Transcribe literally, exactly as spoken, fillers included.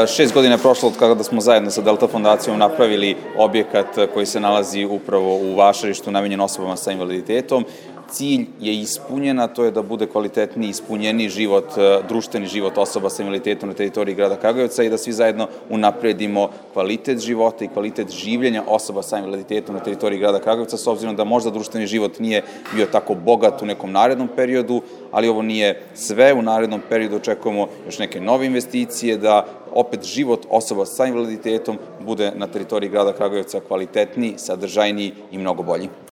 Šest godina je prošlo od kada smo zajedno sa Delta fondacijom napravili objekat koji se nalazi upravo u Vašarištu, namenjen osobama sa invaliditetom. Cilj je ispunjen, a to je da bude kvalitetniji, ispunjeniji život, društveni život osoba sa invaliditetom na teritoriji grada Kragujevca i da svi zajedno unapredimo kvalitet života i kvalitet življenja osoba sa invaliditetom na teritoriji grada Kragujevca, s obzirom da možda društveni život nije bio tako bogat u nekom narednom periodu, ali ovo nije sve. U narednom periodu očekujemo još neke nove investicije, da opet život osoba sa invaliditetom bude na teritoriji grada Kragujevca kvalitetniji, sadržajniji i mnogo bolji.